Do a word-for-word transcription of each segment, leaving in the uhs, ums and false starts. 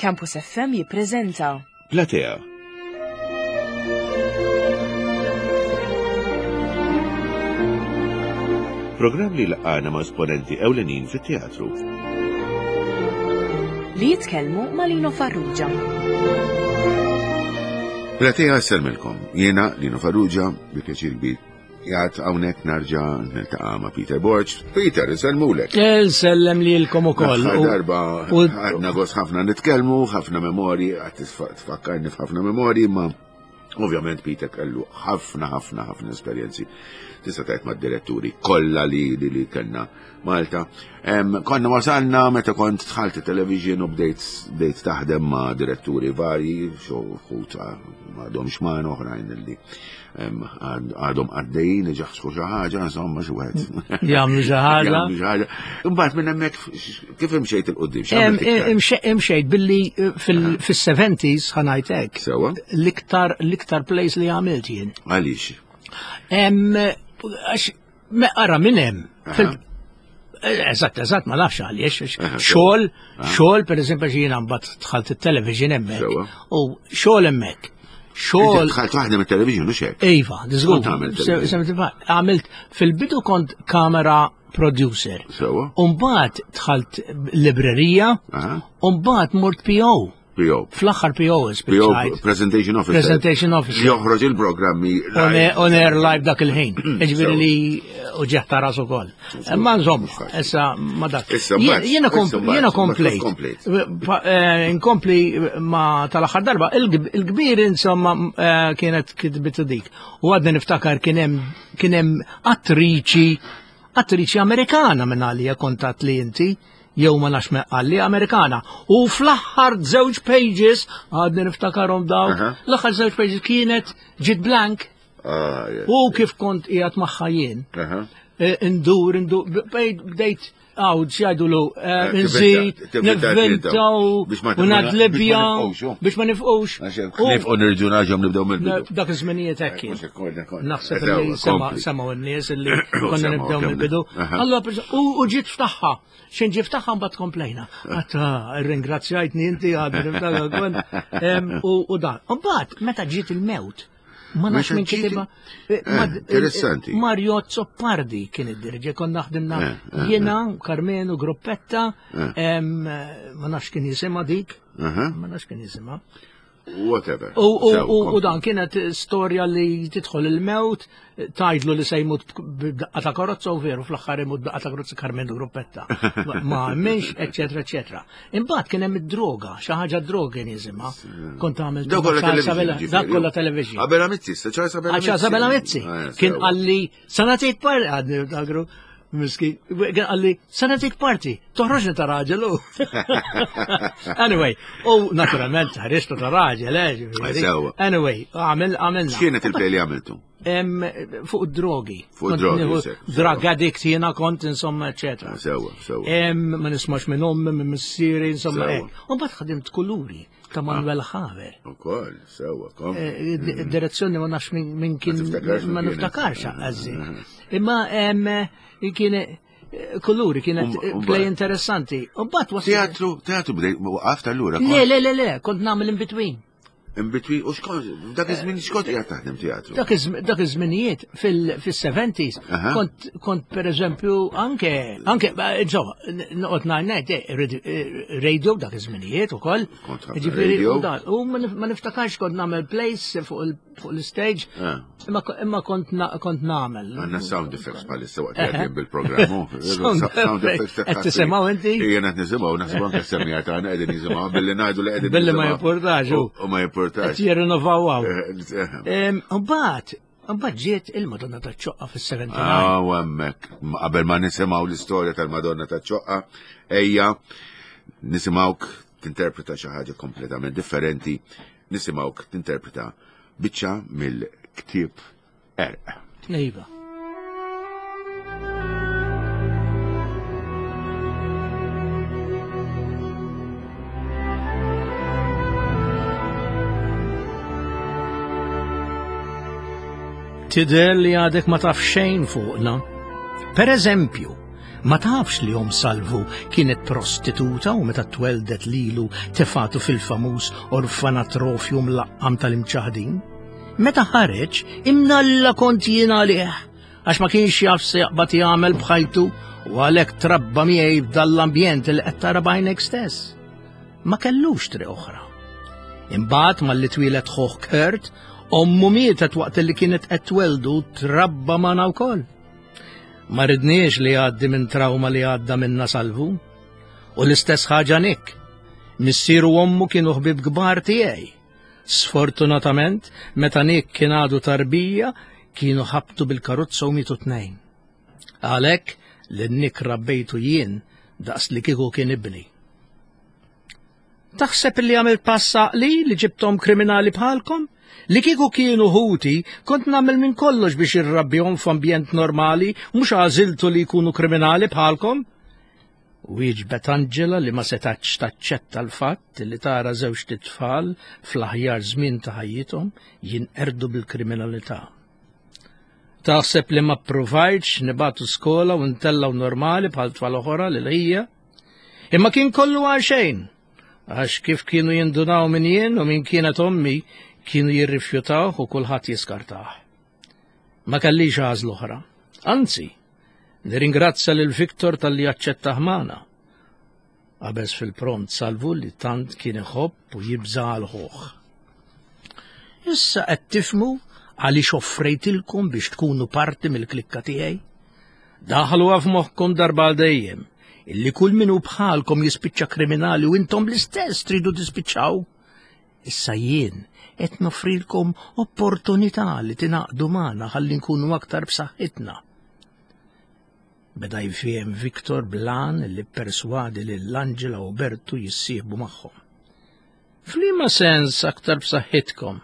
Campus F M jippreżenta Platea. Programm li jlaqqagħna ma' esponenti ewlenin fit-teatru. Li jitkellmu ma' Lino Farrugia. Platea ssellmilkom. Jiena Lino Farrugia, bi pjaċir kbir qiegħed hawnhekk nerġa' niltaqa' ma' Peter Borg. Peter, insellmulek. Nsellem lilkom ukoll. L-aħħar darba għadna gost ħafna nitkellmu, ħafna memorji, għad tfakkarni f'ħafna memorji, ma ovvjament Peter kellu ħafna, ħafna, ħafna esperjenzi. Tista' tgħid mad-diretturi kollha li li, li kellna Malta. Em, konna wasalna meta kont dħalt television u bdejt bdejt taħdem ma' diretturi varji, xi wħud m'għadhomx magħna, oħrajn li em, għad- għadhom għaddejjin iġaħsku xi ħaġa, insomma xi wieħed. Jagħmlu xi ħaġa. Jagħmlu xi ħaġa. Imbagħad minn hemmhekk kif imxejt 'il quddiem? Em, imxe- Imxejt billi eh, fil-seventies, ħa ngħidlek. Sewwa. L-iktar l-iktar plays li għamilt jien. Għaliex? Em, Għax, me ara minn hemm. Fil- Eh, Eżatt, eżatt, ma nafx għaliex. Aha, Xogħol, xogħol, per eżempju, jiena mbagħad dħalt it-television hemmhekk. Sewwa. U xogħol hemmhekk. Xogħol Dħalt taħdem it-television u xek? Iva, żgur. Kont għamilt television? Għamilt fil-bidu kont camera producer. Sewwa. Umbagħad dħalt librerija, Aha. umbagħad mort P O. P O. Fl-aħħar P O P O spiċċajt. Presentation Officer. Presentation Officer. Joħroġ il-programmi. On air- on air live dak il-ħin. Ġifieri li uġigħ ta' rasu ukoll. Ma insomma, issa ma dak. Issa mbagħad, Jiena kom- issa mbagħad, jiena mbagħad komplejt. komplejt. Pa- eh, Inkompli ma tal-aħħar darba. Il-kb- Il-kbir insomma eh, kienet kitbit dik. U għadni niftakar kien hemm kien hemm attriċi attriċi Amerikana minn għalija kontat li inti jew ma nafx għalli Amerikana. U fl-aħħar żewġ pages, għadni niftakarhom dawk, Aha. l-aħħar żewġ pages kienet ġiet blank Ah, yes. u kif kont qiegħed magħha jien. Aha. Eh, Indur, indur, bdejt bdejt għaw, x'jgħidulu, Eh, nżid, tivvinta- nivvintaw, Biex ma- u nadlibja, biex ma nifqux, oh. biex ma nifqux. Għax U- nifqu nirġu nerġgħu nibdew mill-bidu. Dak iż-żminijiet hekk kien. Mhux hekk, konna- konna. Naħseb Eżaw, li sema- kompli. semgħu n-nies li konna Semgħu, nibdew kemm- mill-bidu. Aha. Allora, per- u u ġiet ftaħħa. Xin ġiet ftaħħa mbagħad komplejna. Għatta, ringrazzjajtni inti għadni niftakar kont. Em, U u dan. U mbagħad meta ġiet il-mewt, ma nafx Meta minn ġiet kitibha. il- Eh, interessanti. Mario Zoppardi kien id-dirġe, konna ħdimna Eh, eh, jiena, Carmenu, Gruppetta, Eh. em, ma nafx kien jisimha dik, Aha. ma nafx kien jisimha. Whatever. U, u, Sew, u, u kompli. dan kienet storja li tidħol il-mewt, tgħidlu li se jmut b'daqqa ta' karozza u veru fl-aħħar imut b'daqqa ta' karozza Carmen Gruppetta. Ma- Ma minx, eccetera, eccetera. Imbagħad kien hemm id-droga, xi ħaġa droga kien jisimha. Kont għamilt Dak kollha ma' Charles television. Abela- ġifieri. Dak kollha television. Abela Mizzi, sa Charles Abela Għax Isabella Mizzi. Eh, Kien sew. qalli, sa nagħtik parti, għadni niftakru, miskin, kien qalli, sa nagħtik parti, toħroġni ta' raġel u. Anyway, u naturalment ħriġtu ta' raġel, eh, ġifieri. Sewa. Anyway, għamil, għamilna. X'kienet il-play li għamiltu? Em, fuq drogi. Fuq Kont drogi, nieħu sew, Drug addict jiena kont, insomma, eccetera. Sewa, sewa. Em, ma nismax minn ommi, minn missieri, insomma, Sewa. hekk. U mbagħad ħadimt kuluri ta' Manuel Haver. Ukoll, sewa, kompli. Eh, di- direzzjoni ma nafx min min kien Ma tiftakarx min ma kienet. niftakarx għazzi. Imma em, kien eh, kuluri kienet Um- um- play interessanti. U mbagħad wasal. Teatru, teatru bdejt, waqaft allura. Le, le, le, le, kont nagħmel in between. In between, u xkont, dak iż-żmien xkont qiegħed taħdem teatru. Dak iż- dak iż-żminijiet fil-seventies Aha. kont kont per eżempju anke anke ba, insomma noqgħod ngħid eh, radi- eh, radio dak iż-żminijiet ukoll. Kont ħafna Ġifieri, radio. u dan, U ma nif- ma niftakarx kont nagħmel plays fuq il- fuq l-stage Eh. imma imma kont na- kont nagħmel. Għandna sound effects bħalissa waqt li għaddejjin bil-programm. oh. Sound effects. Qed tisimgħu inti? Ejja qed nisimgħu, naħseb anke s-semmiegħa tagħna qegħdin jisimgħu billi ngħidu li qegħdin Billi ma jisimgħu. jimpurtax, u. U u ma jimpurtax. Qed jirrinnovaw hawn. Eh, eh, Em, Mbagħad mbagħad ġiet il-Madonna taċ-Ċoqqa fis-sebgħa u sebgħin. Ah, u hemmhekk. Qabel ma nisimgħu l-istorja tal-Madonna taċ-Ċoqqa, ejja nisimgħuk tinterpreta xi ħaġa kompletament differenti, nisimgħuk tinterpreta biċċa mill-ktieb Erq. Iva. Tidher li għadek ma taf xejn fuqna. Per eżempju, Ma tafx li omm Salvu kienet prostituta u meta tweldet lilu tefatu fil-famuż orfanatrofju mlaqqam tal-imċaħdin? Meta ħareġ, imnalla kont jien għalih, għax ma kienx jaf se jaqbad jagħmel b'ħajtu u għalhekk trabba miegħi f'dal-ambjent li qed tara b'għajnek stess. Ma kellux triq oħra. Imbagħad malli twieled ħuh Kurt, ommu mietet waqt li kienet qed tweldu trabba magħna wkoll. Ma ridniex li jgħaddi minn trauma li għadda minna Salvu. U l-istess ħaġa Nick. Missieru u ommu kienu ħbib kbar tiegħi. Sfortunatament, meta Nick kien għadu tarbija, kienu ħabtu bil-karozza u mietu tnejn. Għalhekk li Nick rabbejtu jien daqs li kieku kien ibni. Taħseb li għamilt pass għaqli li ġibtom kriminali bħalkom? Li kieku kienu ħuti, kont nagħmel minn kollox biex irrabbihom f'ambjent normali, mhux għażiltu li jkunu kriminali bħalkom? Wieġbet Angela li ma setax taċċetta l-fatt li tara żewġt itfal fl-aħjar żmien ta' ħajjithom jinqerdu bil-kriminalità. Taħseb li ma ppruvajtx nibagħtu skola u ntellgħu normali bħal tfal oħra lil ħija? Imma kien kollu għal xejn, għax kif kienu jindunaw minn jien u minn kienet ommi, kienu jirrifjutawh u kulħadd jiskartah. Ma kellix għażla oħra. Anzi, nirringrazzja lil Victor talli aċċettah magħna. Qabeż fil-pront Salvu li tant kien iħobb u jibża' għal ħuh. Issa qed tifhmu għaliex offrejtilkom biex tkunu parti mill-klikka tiegħi? Daħluha f'moħħkom darba għal dejjem illi kull min hu bħalkom jispiċċa kriminali u intom l-istess tridu tispiċċaw. Issa jien qed noffrilkom opportunità li tingħaqdu magħna ħalli nkunu aktar b'saħħitna. Beda jfiem Victor blan li perswadi lil Angela u Bertu jissieħbu magħhom. F'liema sens aktar b'saħħitkom?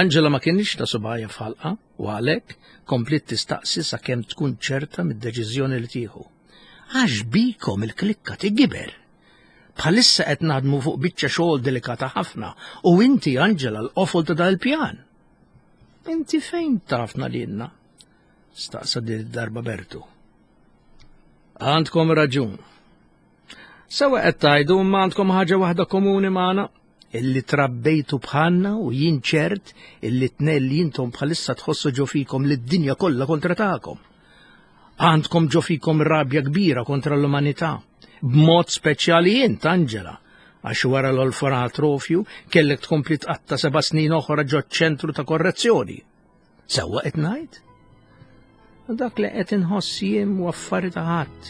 Angela ma kienx ta' subgħajha f'ħalqha u għalhekk kompliet tistaqsi sakemm tkun ċerta mid-deċiżjoni li tieħu. Għax bikom il-klikka tigiber. Bħalissa qed naħdmu fuq biċċa xogħol delikata ħafna u inti Angela l-qofol ta' dal-pjan. Inti fejn tafna lilna? Staqsa din id-darba Bertu. Għandkom raġun. Sewa qed tgħidu imma għandkom ħaġa waħda komuni magħna, illi trabbejtu bħalna u jien ċert illi tnejn li intom bħalissa tħossu ġo fikom li d-dinja kollha kontra tagħkom. Għandkom ġo fikom rabja kbira kontra l-umanità. B'mod speċjali int, Angela, għax wara l-orfanatrofju kellek tkompli tqatta' seba' snin oħra ġo ċentru ta' korrezzjoni. Sewwa qed ngħid? Dak li qed inħoss jien u affari ta' ħadd.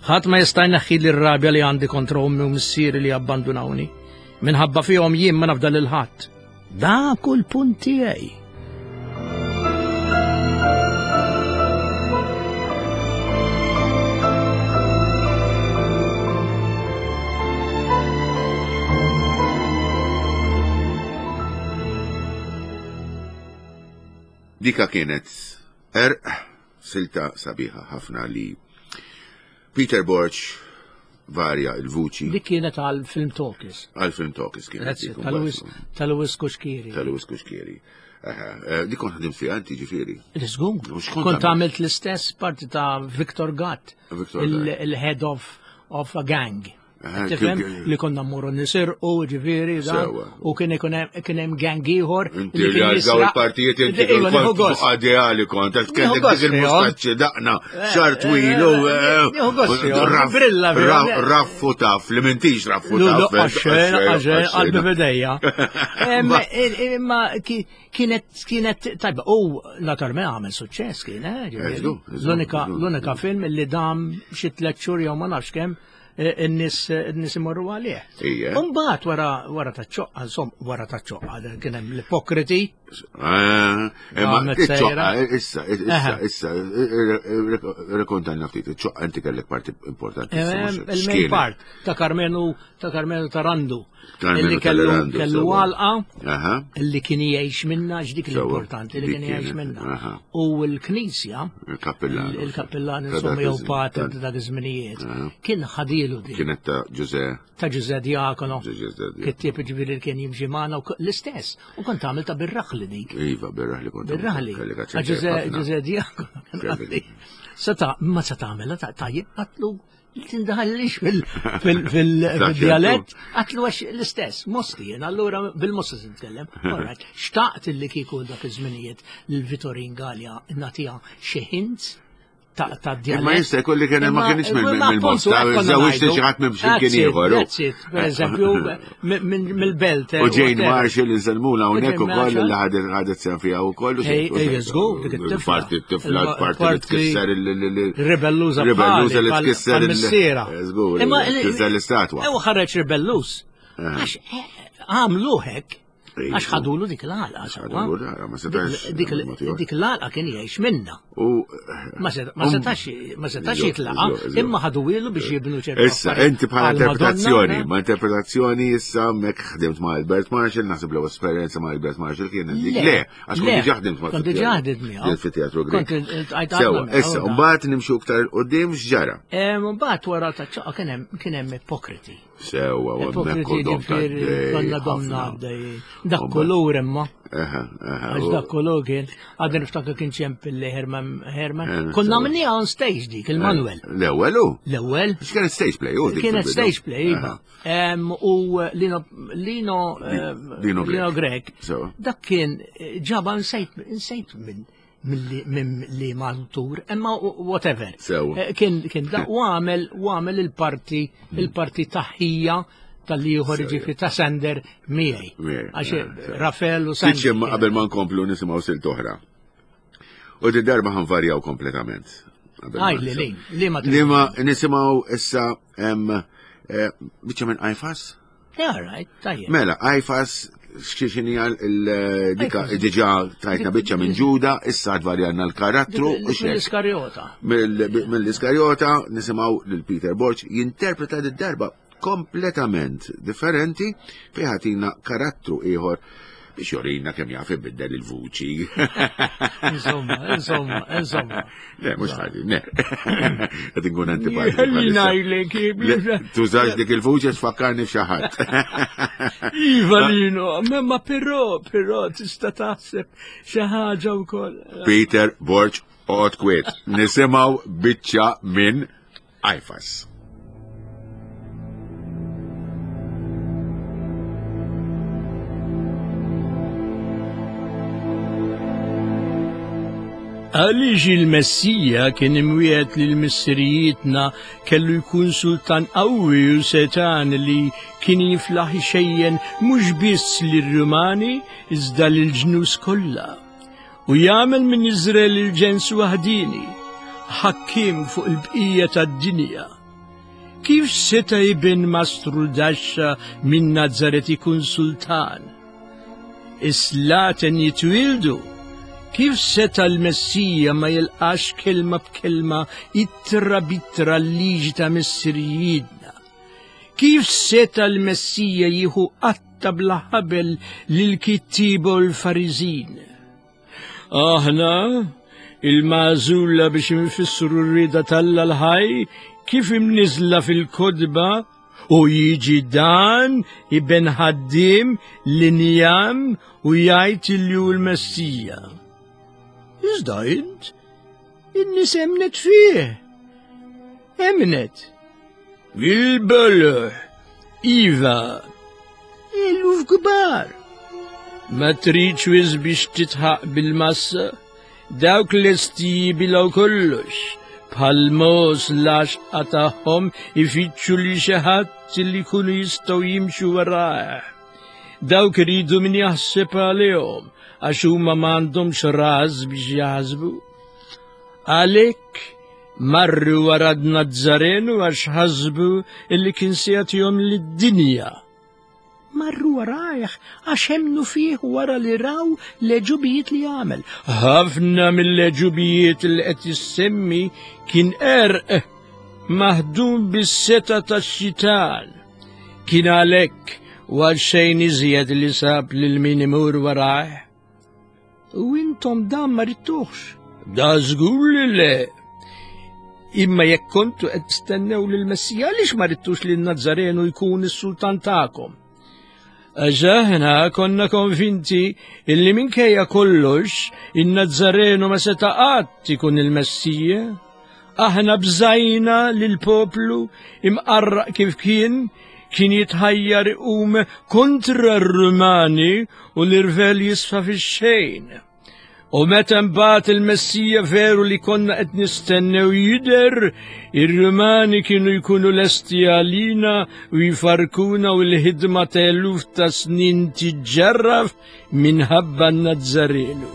Ħadd ma jista' jneħħi l-rabja li għandi kontra ommi u missieri li abbandunawni. Minħabba fihom jien ma nafda lil ħadd. Dak hu l-punt tiegħi. Dika kienet erq silta sabiħa ħafna li Peter Borg varja il-vuċi. Dik kienet għal Film Talkies. Għal Film Talkies kienet. That's it, tal-Lewis, tal-Lewis Cuschieri. Tal-Lewis Cuschieri. Aha, eh, Dik kont ħdimt fiha inti ġifieri. L-iżgur. Mhux kont Kont għamilt. għamilt l-istess parti ta' Victor Gatt, Victor il- Gatt. il-head of, of a gang. Aha, Tifhem? kien- Li konna mmorru nisirqu, ġifieri, dan, Sewa. u kien ikun hemm- kien hemm gang ieħor Inti li li kien għal daw jisraq. il-partijiet inti Iva, kont nieħu gost. ideali kont, għax kellek Nieħu gost dik il-mustaċċi daqna, xar twil u eh, Nieħu gost fihom, raff- brilla fihom. raff- raffu taf, li m'intix raffu Lu, taf. lu, għaxxejn, għaxxejn, qalbi bidejja. Em, Ma- Imma ki- kienet, kienet, tajba, u naturalment għamel suċċess kien, eh, ġifieri. Eżdu, eżdu, L-unika, eżdu. l-unika film li dam xi tliet xhur jew ma nafx kemm eh, in-nies in-nies imorru għalih. Ija. Umbagħad wara wara taċ-ċoqqa, insomma, wara taċ-ċoqqa kien hemm l-ipokriti. Ah, Imma Għamlet iċ-ċoqqa, sejra. issa, issa, Aha. issa, rekontanna ftit, iċ-ċoqqa inti kellek parti importanti. Eh, Il-main part ta' Karmenu ta' Karmenu Tarandu. Karmenu Illi kellu Tarandu, kellu sewa. għalqa Aha, illi kien jgħix minna, x'dik Sewa, l-importanti li dik kien jgħix kienet, minna. aha. U l-Knisja, il-kappellan. il-kappellan Ta' insomma dak jew iż-żmien, pater ta' ta' dak iż-żminijiet, Aha. kien ħadilu din Kienet ta' Ġuże, ta' Ġuże Diakono. Ġuże Diakono. Kittieb ġifieri li kien jimxi magħna u k- l-istess. U kont għamil ta' bir-raħli dik. Iva, bir-raħli kont. Bir-raħli. Kellek Għax aċċent Ġuże ħafna. Ġuże Diakono Seta, ma se tagħmilha tajjeb għatlu tindaħallix fil-dialett, għatlu għax l-istess, Mosti, jien allura bil-Mosti se nitkellem. All right. Xtaqt illi kieku dak iż-żminijiet lil Vitorin Galea nagħtiha xi hints ta' ta' dialett. Imma jista' jkun li kien ma kienx mill-Mosta, żewġt xi ħadd minn xi kien ieħor. That's it, per eżempju, mill-belt. U Jane Marshall insellmula hawnhekk ukoll li ħadet ħadet sehem fiha wkoll. Ej, ej, żgur, dik it-tifla. Parti t-tifla, parti li tkisser il- Rebelluża Rebelluża li tkisser il- missiera. Żgur, tkisser l-istatwa. Ew ħareġ rebelluż. Għax għamlu hekk. Ej, Għax ħadulu dik l-għalqa. sewwa. Ħadulu l-għalqa, ma setax Dik mod ieħor. dik l-għalqa kien jgħix minna. U Ma seta- ma setax ma setax Eżatt, jitlaqa, eżatt, eżatt. imma ħaduwilu biex jibnu ċertu. Issa, affarijiet. inti bħala Għal Madonna, interpretazzjoni, ma interpretazzjoni issa mek ħdimt ma' Albert Marshall, naħseb l esperjenza ma' Albert Marshall kienet dik. Le, għax kont diġà ħdimt ma' Kont diġà ħdimt miegħu. Fit-teatru Grek. Kont iltqajt Sewa, ħafna issa, miegħu, mbagħad nimxu iktar quddiem x'ġara. Em, Mbagħad wara ta' ċaqqa kien hemm kien hemm ipokriti. Sewa, u hemmhekk Ipokriti dom ta' ġifieri konna domna għaddej. Dak kulur imma. Aha, aha. Għax dak kulur kien, għadni niftakar kien ċempilli Herman Herman. Eh, Konna sewa. għamilniha on stage dik, il-Manuel. L-ewwel hu. L-ewwel. X'kienet stage play, u dik Kienet fil-bidu. stage play, iva. Aha. Em, U Lino Lino em, Lino Grech. Lino Grech. Sewa. Dak kien eh, ġaba nsejt nsejt minn minn minn li maltur, imma whatever. Sewa. Eh, Kien kien da u għamel u għamel il-parti il-parti taħħija tal-ieħor ġifi ta' Sander miegħi. Miegħi, Għax eh, sewa. Rafael u Sander. Tiċ imma qabel ma nkomplu nisimgħu silt oħra. U di darba ħanvarjaw kompletament. Qabel ma Għaj li li, li ma Li ma nisimgħu issa hemm eh, biċċa minn Għajfas? Yeah, right, tajjeb. Mela, Għajfas x'inhi dika Għajfas. diġà tajtna biċċa minn Ġuda, issa tvarjanna l-karattru u xek. Mill-Iskarjota. Mill-Iskarjota nisimgħu lil Peter Borg jinterpreta d-darba kompletament differenti fejn ħatina karattru ieħor biex jorina kemm jaf ibiddel il-vuċi. Insomma, insomma, insomma. Le, mhux ħaġi, ne. Qed inkun antipatiku. Ħalli bħalissa. ngħidlek, Le, Tużax dik il-vuċi tfakkarni f'xi ħadd. Iva Lino, ma ma però, però tista' taħseb xi ħaġa wkoll. Peter Borg oqgħod kwiet. Nisimgħu biċċa minn Għajfas. Għaliex il-Messija kien imwiegħed lil missirijietna kellu jkun sultan qawwi u setan li kien jiflaħ ixejjen mhux biss lir-Rumani iżda lill-ġnus kollha. U jagħmel minn Iżrael il-ġens waħdini, ħakkim fuq il-bqija tad-dinja. Kif seta' ibn Mastru Daxxa minn Nazaret ikun sultan? Is-slaten jitwildu. Kif seta l-Messija ma jilqax kelma b'kelma ittra b'ittra l-liġi ta' missirijietna? Kif seta l-Messija jieħu qatta bla ħabel lil-kittieba u l-Fariżin? Aħna, il-magħżula biex nfissru r-rieda t'Alla l-ħaj, kif imniżla fil-kotba, u jiġi dan iben ħaddiem l-injam u jgħid li hu l-Messija. Iżda int, in-nies emnet fih. Emnet. Il-boloh, iva, eluf kbar. Ma tridx wisq biex titħaq bil-massa, dawk lesti jibilgħu kollox, bħal mogħoż l-għaxqa tagħhom ifittxu li xi ħadd li jkunu jistgħu jimxu warajh. Dawk iridu min jaħseb għalihom, għax huma m'għandhomx ras biex jaħsbu. Għalhekk marru wara Nazzarenu għax ħasbu illi kien se jagħtihom lid-dinja. Marru warajh għax emmnu fih wara li raw l-għeġubijiet li għamel. Ħafna mill-għeġubijiet li qed jissemmi kien erq maħdum bis-seta tax-xitan. Kien għalhekk u għal xejn iżjed li sab lil min imur warajh. U intom dan ma ridtuhx. Da żgur li le. Imma jekk kontu qed tistennew lill-Messija, għaliex ma ridtux lil Nazzarenu jkun is-sultan tagħkom? Għax aħna konna konvinti illi minkejja kollox in-Nazzarenu ma seta' qatt ikun il-Messija. Aħna bżajna lill-poplu imqarraq kif kien kien jitħajjar iqum kontra r-Rumani u l-irvel jisfa fix-xejn. U meta mbagħad il-Messija veru li konna qed nistennew jidher, ir-Rumani kienu jkunu lesti għalina u jfarkuna u l-ħidma ta' eluf ta' snin tiġġarraf minħabba n-Nazzarenu.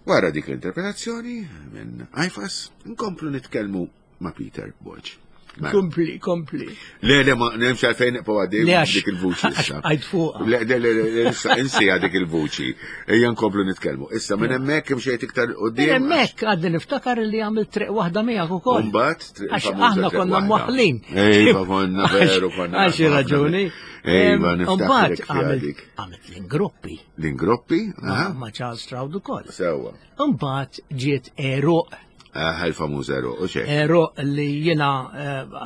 Wara dik l-interpretazzjoni minn Għajfas, nkomplu nitkellmu ma' Peter Borg. Kompli, kompli. Le, le, ma nemx għalfejn nibqgħu għaddej dik il-vuċi issa. Għajd fuqha. Le, le, le, le, issa insija dik il-vuċi. Ejja nkomplu nitkellmu. Issa minn hemmhekk imxejt iktar quddiem. Minn hemmhekk għadni niftakar li għamilt triq waħda miegħek ukoll. Imbagħad triq Għax famuża aħna triq konna waħda. mwaħħlin. Ejva, konna veru, konna. Għax raġuni. Ejva, niftakar Imbagħad fiha dik. għamilt l-ingruppi. L-ingruppi? Aha. Ma' Charles Stroud ukoll. Sewwa. Imbagħad ġiet Eruq. Ah, il-famuż Eruq, u xejn. Eruq li jiena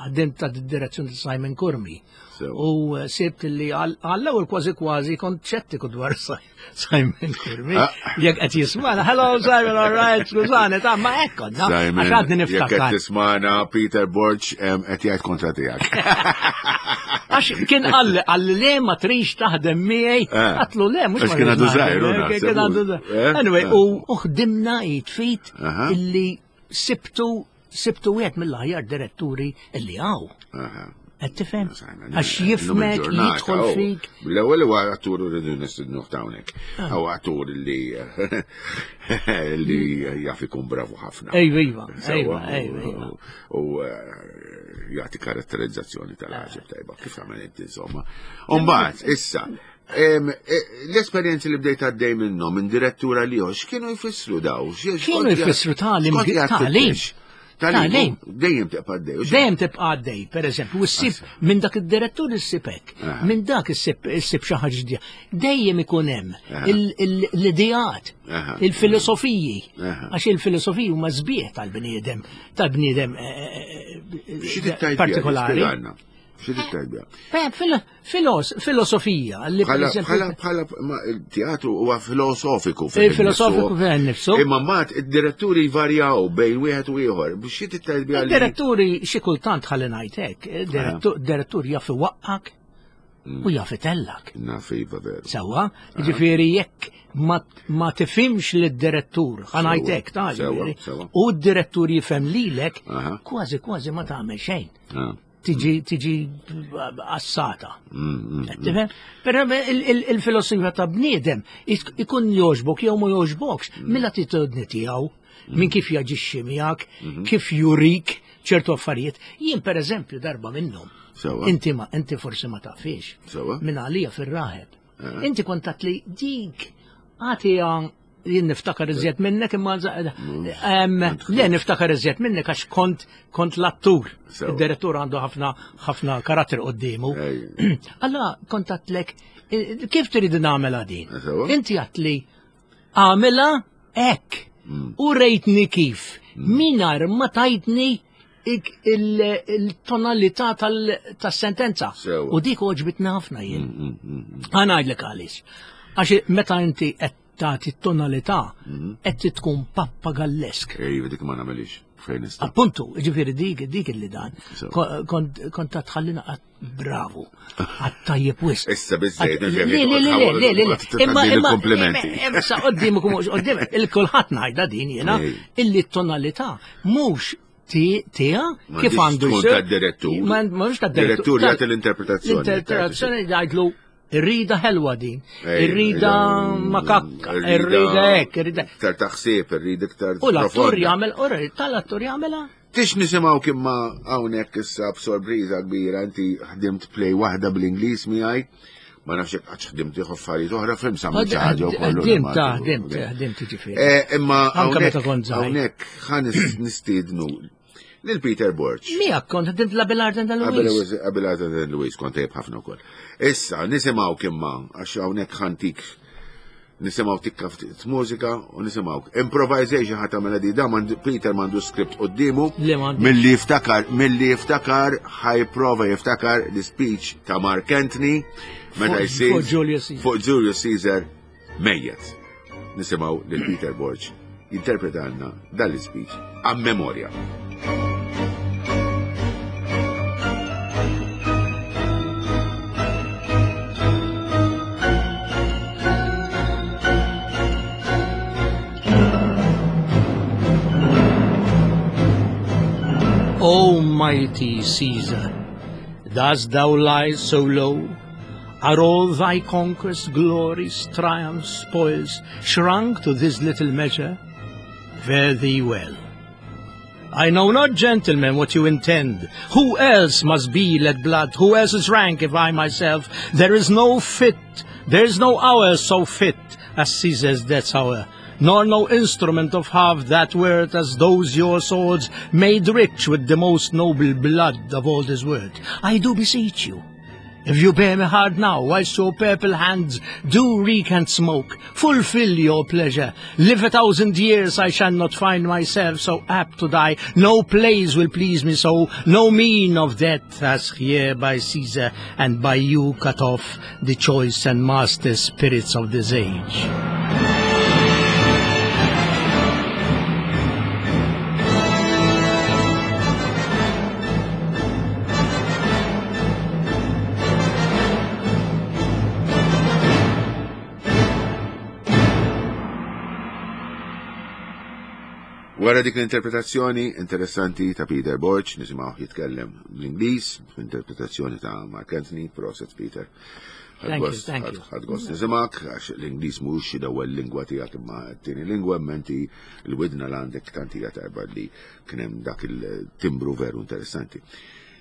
ħdimt ta' direzzjoni ta' Simon Curmi. U sibt li għall-ewwel kważi kważi kont ċettiku dwar Simon Curmi. Jekk qed jismana, hello Simon, all right, skużani, ta' ma hekk konna. Simon, Għax għadni jekk qed niftakar. tismana Peter Borg qed jgħid kontra tiegħek. Għax kien qalli qalli le ma trix taħdem miegħi, għatlu le mhux. Għax kien għadu żgħir, u naħseb. Kien għadu żgħir. Anyway, u ħdimna jitfit illi sibtu sibtu wieħed mill-aħjar diretturi illi hawn. Qed tifhem? Għax jifmek, jidħol fik. L-ewwel huwa attur rridu nistidnuh hawnhekk. Huwa attur li li jaf ikun bravu ħafna. Ejva, iva, ejva, ejva. U jagħti karatterizzazzjoni tal-ħaġeb tajba kif tagħmel inti insomma. U mbagħad issa l-esperjenzi li bdejt għaddej minnhom minn direttura li x'kienu jfissru daw? Kienu jfissru tagħlim tagħlim. Tagħlim. Dejjem tibqa' għaddej. Dejjem tibqa' għaddej, pereżempju, u ssib minn dak id-direttur issib hekk, minn dak issib issib xi ħaġa ġdida. Dejjem ikun hemm l-ideat, il-filosofiji, għax il-filosofiji huma sbieħ tal-bniedem, tal-bniedem partikolari. Xi tittajbja? Filosofija. Bħala bħala il-teatru huwa filosofiku. Filosofiku fejn nifsu. Imma mbagħad id-diretturi jvarjaw bejn wieħed u ieħor. Xi tittajbja? Id-diretturi xi kultant ħalli ngħid hekk, direttur jaf iwaqqak u jaf itellak. Naf iva veru. Sewwa, jiġifieri jekk ma tifhimx lid-direttur, ħa ngħid hekk ta' u d-direttur jifhem lilek, kważi kważi ma tagħmel xejn. Tiġi tiġi assata. Però il-filosofija ta' bniedem ikun jogħġbok jew ma jogħġbokx mill-attitudni tiegħu, minn kif jaġixxi miegħek, kif jurik ċertu affarijiet. Jien pereżempju darba minnhom. Inti ma inti forsi ma tafix. Minn għalija fir-raħeb. Inti kont tgħid li dik għatija jien niftakar iżjed minnek imma le niftakar iżjed minnek għax kont kont l-attur. Id-direttur għandu ħafna ħafna karatter qoddiemu. Alla kont għedtlek kif trid nagħmilha din? Inti għedtli għamilha hekk u rejtni kif mingħajr ma tajtni il-tonalità tas-sentenza. U dik għoġbitni ħafna jien. Ħa ngħidlek għaliex. Għax meta inti qed tagħti t-tonalità qed tkun pappagallesk. Ejva, dik ma nagħmelix fejn nista'. Appuntu, ġifieri dik dik li dan. Kont tħallina bravo. Għad tajjeb wisq. Issa biżejjed. Le, le, le, le, le, imma imma imma sa qoddimek u mhux qoddimek, il-kulħadd ngħidha din jiena illi t-tonalità mhux tija kif għandu jsir. Tad-direttur. Mhux tad-direttur. Direttur jagħti l-interpretazzjoni. L-interpretazzjoni jgħidlu irrida ħelwa din, irrida makakka, irrida hekk, irrida. Iktar taħsib, irrida iktar. U l-attur jagħmel, tal-attur jagħmilha Tix nisimgħu kimma hawnhekk issa b'sorpriża kbira, inti ħdimt play waħda bl-Ingliż miegħi, ma nafx jekk qattx ħdimt ieħor affarijiet oħra, fim sa xi ħaġa wkoll. Ħdimt, ta' ħdimt, ħdimt ġifieri. Eh, Imma Anke meta hawnhekk kont żgħir. hawnhekk ħa nis- nistiednu lil Peter Borg. Miegħek kont ħdimt l-Abelard and Qabel Louise. Qabel għadha Louise kont tajjeb ħafna wkoll. Issa nisimgħu kimma għax hawnhekk ħantik nisimgħu tikka ftit mużika u nisimgħu improvisation ħa tagħmel di da mandu- Peter m'għandu script quddiemu Le m'għandux. milli jiftakar milli jiftakar ħa jipprova jiftakar l-speech ta' Mark Anthony meta Fuq- jsir fuq Julius Caesar. fuq Julius Caesar mejjet. Nisimgħu lil Peter Borg jinterpretalna dan l-speech a memorja. O mighty Caesar, dost thou lie so low? Are all thy conquests, glories, triumphs, spoils shrunk to this little measure? Fare thee well. I know not, gentlemen, what you intend. Who else must be let blood? Who else is rank if I myself? There is no fit, there is no hour so fit as Caesar's death's hour, nor no instrument of half that worth as those your swords made rich with the most noble blood of all this world. I do beseech you, if you bear me hard now, whilst your purple hands do reek and smoke, fulfill your pleasure. Live a thousand years, I shall not find myself so apt to die. No place will please me so, no mean of death as here by Caesar and by you cut off the choice and master spirits of this age. Wara dik l-interpretazzjoni interessanti ta' Peter Borg, nisimgħu jitkellem bl-Ingliż, interpretazzjoni ta' Mark Anthony, proset Peter. Thank you, thank you. Ħadt gost nisimgħek, għax l-Ingliż mhux l-ewwel lingwa tiegħek imma t-tieni lingwa, imma inti l-widna l għandek tant hija tajba li kien hemm dak il-timbru veru interessanti.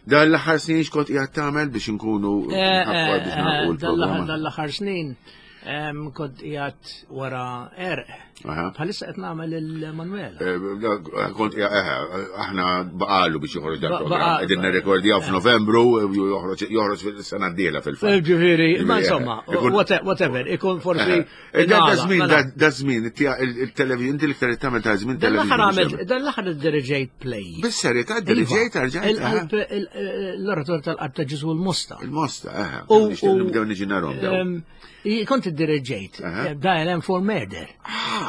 Dan l-aħħar snin x'kont qiegħed tagħmel biex inkunu Eh, eh, nħaffar biex nagħlqu eh, l-programma. Dal-aħħar snin em, kont qiegħed wara erq. Aha. Bħalissa qed nagħmel il-Manuela. Eh, dak, Kont, eh, eh, aħna baqalu biex joħroġ dan Ba- programm. baqa- Qegħdin nirrekordjaw f'Novembru, u joħroġ joħroġ fil-sena d-dieħla fil-fatt. Ġifieri, ma Ġifieri, insomma, eh, ikun- whate- whatever, ikun forsi. Eh, Da da nagħlaq, żmien, nagħlaq. da- da żmien, il-television, inti l-iktar tagħmel ta' żmien Dan l-aħħar television. għamilt, dan l-aħħar iddirigejt play. Bis-serjetà diriġejt Iva, rġajt. Il-qalb, il- l-orator tal-qalb ta' Ġesu l-Mosta. Il-mosta, eh. U- Nixtieq u- nibdew niġi narhom daw. Em, i- Kont iddirigejt, Aha. da L M for Murder. Ah,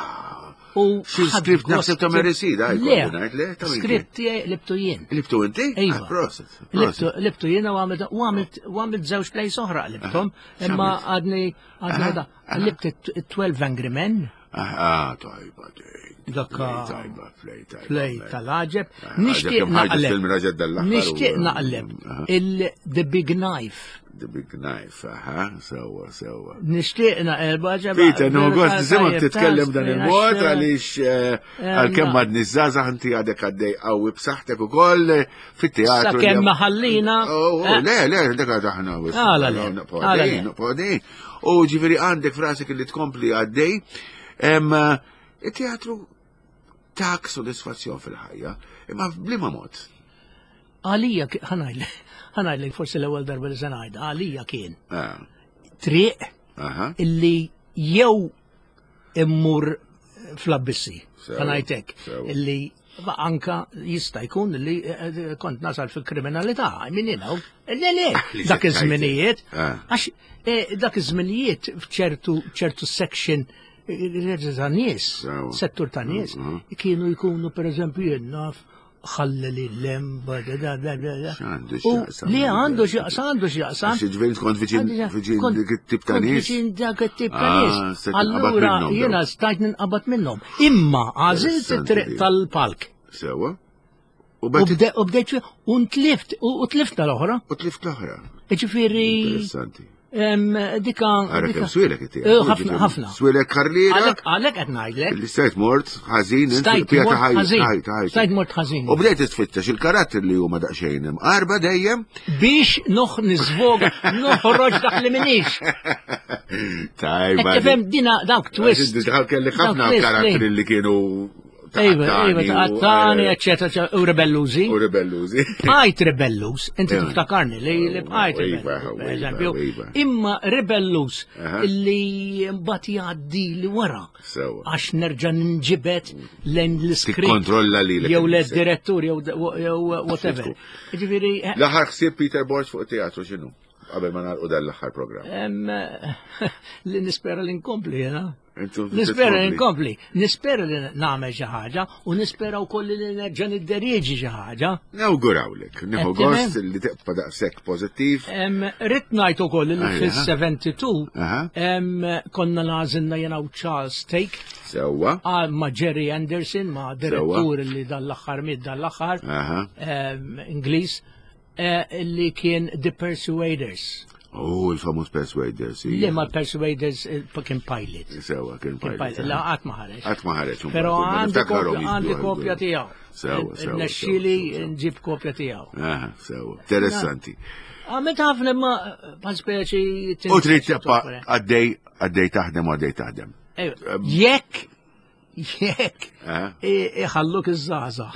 U Xi ħadd script gost- naħseb ta' Mary Seed, ah, Le, jkolli ngħid, le, ta' min kien? script tiegħi libtu jien. Libtu inti? Iva. Ah, Proset. Libtu proset. libtu jien u għamilt u għamilt u għamilt żewġ plays oħra libtom, imma X'għamilt? għadni għadni Aha, għadha aha. libt it- twelve Angry Men, Ah, ah, tajba, dik. Dak, Play tajba, play tajba. play tal-għaġeb. Ah, Nixtieq dak kemm ħarġet naqleb. film raġel dal-aħħar u- Nixtieq naqleb Aha. il-The Big Knife. The Big Knife, aha, sewa, sewa. Nixtieq naqleb għaġeb. Peter, no gost nisimgħek titkellem dan il-mod għaliex eh, għalkemm ma- għadni żgħażagħ inti għadek għaddej qawwi b'saħħtek ukoll eh, fit-teatru. Sakemm ma ħallina. Oh, oh, eh, le, le, dak għad aħna. Għala le, Nibqgħu għala għaddejjin, le. nibqgħu għaddejjin. U ġifieri għandek frasek li tkompli għaddej. Em, eh, Il-teatru tak sodisfazzjon fil-ħajja, imma b'liema mod. Għalija, ki- ħa ngħidlek, ħa ngħidlek forsi l-ewwel darba li se ngħidha, għalija kien Ah, triq Aha. illi jew immur fl-abbissi, Sewa, ħa ngħidlek, sewa. illi ma anka jista' jkun li eh, kont nasal fil-kriminalità, I mean, you know, le le, Li dak se iż-żminijiet, Ah. għax eh, dak iż-żminijiet f'ċertu ċertu section eh, ta' nies, Sewa. settur ta' nies, Mhm. kienu jkunu per eżempju jien naf ħalleli l-lem, da da da da da. X'għandu U x'jaqsam? Li għandu x'jaqsam, għandu x'jaqsam. Għax ġifieri kont viċin viċin Kont- dik it-tip ta' kont nies. viċin dak it-tip ta' Ah, nies. se tinqabad Allura minnhom jiena dawn. stajt ninqabad minnhom. Imma għażilt Interessanti it-triq di. tal-palk. Sewa. U U bat bde- u bdejt fi- u ntlift, u u tlift tal-oħra. u tlift l-oħra. Ġifieri Interessanti. Dika. Ara kemm swielek it-teatru. Ħafna, ħafna. Swielek karriera. Għalhekk qed ngħidlek. Li stajt mort ħażin, Stajt mort ħażin. Stajt mort ħażin. U bdejt tfittex il-karattri li huma daqsxejn imqarba dejjem. Biex noħ niżvoga, noħroġ dak li minix. Tajba. Tifhem dina dawk twist. Kelli ħafna karattri li kienu Ejwa, ejwa, taqattani, eccetera, u rebellużi. U rebellużi. Bqajt rebelluż, inti tiftakarni li li bqajt rebelluż, per eżempju. Imma rebelluż li mbagħad jgħaddi li wara. Għax nerġa' ninġibed lejn l-iskript. Tikkontrolla lilek. Jew led-direttur jew whatever. Ġifieri. L-aħħar ħsieb Peter Borg fuq it-teatru x'inhu? Qabel ma nagħlqu dan l-aħħar programm. Li nispera li nkompli, jena. Nispera li nkompli, nispera li nagħmel xi ħaġa u nispera wkoll li nerġa' nidderieġi xi ħaġa. Nawgurawlek, nieħu gost li tibqa' daqshekk pożittiv. Ridt ngħid ukoll li fis-seventy-two konna nagħżilna jiena u Charles Take. Sewwa. Ma' Jerry Anderson, ma' direttur li dan l-aħħar miet dan l-aħħar, Ingliż, li kien The Persuaders. Oh, il-famuż Persuaders. Li ma Persuaders kien pilot. Sewa, kien pilot. La, qatt ma ħareġ. Qatt ma ħareġ. Però għandi kopja tiegħu. Sewa, sewa. Nexxieli nġib kopja tiegħu. Aha, sewa. Interessanti. Għamilt ħafna ma bħal speċi. U trid tibqa' għaddej għaddej taħdem u għaddej taħdem. Jekk jekk iħalluk iż-żgħażagħ.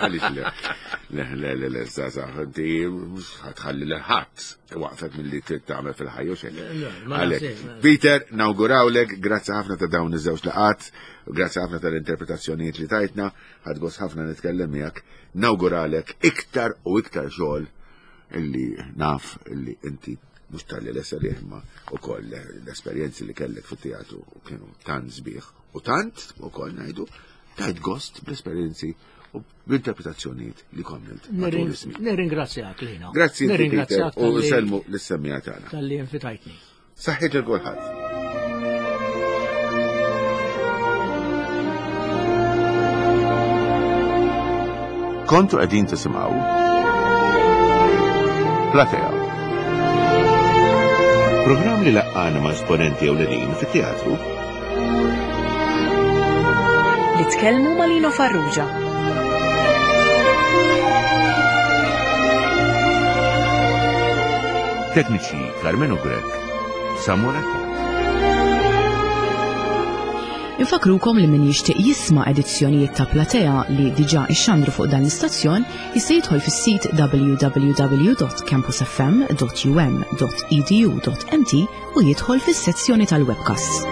Għaliex le? Le, le, le, le, żgħażagħ, inti mhux ħatħalli lil ħadd waqfek milli trid tagħmel fil-ħajja u xejn. Għalhekk. Peter, nawgurawlek, grazzi ħafna ta' dawn iż-żewġ laqgħat, grazzi ħafna tal-interpretazzjonijiet li tajtna, ħadd gost ħafna nitkellem miegħek, nawguralek iktar u iktar xogħol illi naf illi inti mhux talli l-esseri imma ukoll l-esperjenzi li kellek fit-teatru kienu tant sbieħ u tant ukoll ngħidu tajt gost bl-esperjenzi u bl-interpretazzjonijiet li kommilt. Nirringrazzjak Lino. Grazzi Peter u nselmu lis-semmija tagħna. Talli invitajtni. Saħħit il kulħadd. Kontu qegħdin tisimgħu Platea. Programm li laqqana ma' esponenti ewlenin fit-teatru. Li tkellmu ma' Lino Farrugia. Tekniċi Carmenu Grech, Samuel Attard. Infakrukom li min jixtieq jisma' edizzjonijiet ta' Platea li diġà ixxandru fuq dan l-istazzjon jista' jidħol fis-sit w w w dot campus f m dot u m dot e d u dot m t u jidħol fis-sezzjoni tal-webcasts.